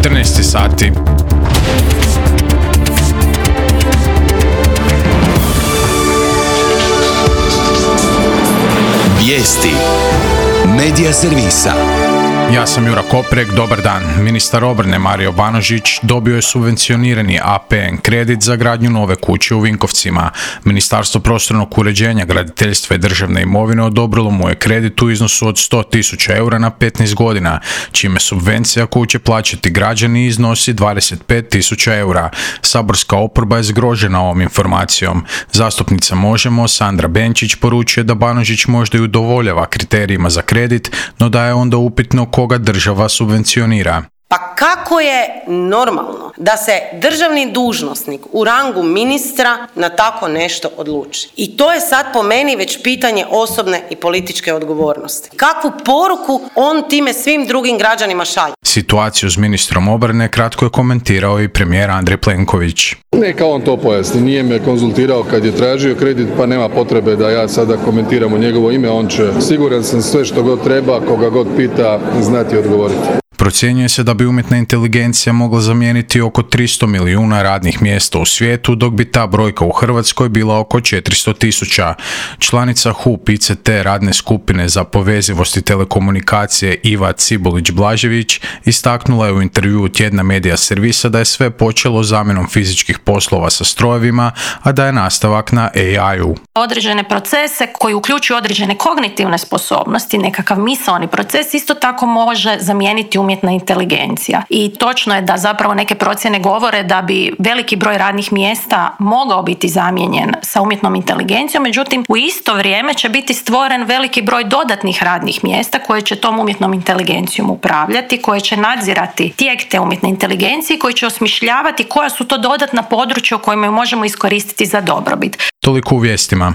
14 sati. Vijesti Medija servisa. Ja sam Jura Koprek, dobar dan. Ministar obrane Mario Banožić dobio je subvencionirani APN kredit za gradnju nove kuće u Vinkovcima. Ministarstvo prostornog uređenja, graditeljstva i državne imovine odobrilo mu je kredit u iznosu od 100.000 eura na 15 godina, čime subvencija koju će plaćati građani iznosi 25.000 eura. Saborska oporba je zgrožena ovom informacijom. Zastupnica Možemo, Sandra Benčić, poručuje da Banožić možda i udovoljava kriterijima za kredit, no da je onda upitno koga država subvencionira. Pa kako je normalno da se državni dužnosnik u rangu ministra na tako nešto odluči? I to je sad po meni već pitanje osobne i političke odgovornosti. Kakvu poruku on time svim drugim građanima šalje? Situaciju s ministrom obrane kratko je komentirao i premijer Andrej Plenković. Neka on to pojasni, nije me konzultirao kad je tražio kredit, pa nema potrebe da ja sada komentiram u njegovo ime, on će, siguran sam, sve što god treba, koga god pita, znati odgovoriti. Procjenjuje se da bi umjetna inteligencija mogla zamijeniti oko 300 milijuna radnih mjesta u svijetu, dok bi ta brojka u Hrvatskoj bila oko 400.000. Članica HUP ICT radne skupine za povezivost i telekomunikacije Iva Cibulić-Blažević istaknula je u intervjuu tjedna Medija servisa da je sve počelo zamjenom fizičkih poslova sa strojevima, a da je nastavak na AI-u. Određene procese koji uključuju određene kognitivne sposobnosti, nekakav misaoni proces, isto tako može zamijeniti umjetna inteligencija. I točno je da zapravo neke procjene govore da bi veliki broj radnih mjesta mogao biti zamijenjen sa umjetnom inteligencijom, međutim u isto vrijeme će biti stvoren veliki broj dodatnih radnih mjesta koje će tom umjetnom inteligencijom upravljati, koje će nadzirati tijek te umjetne inteligencije, koji će osmišljavati koja su to dodatna područja u kojima ju možemo iskoristiti za dobrobit. Toliko u vijestima.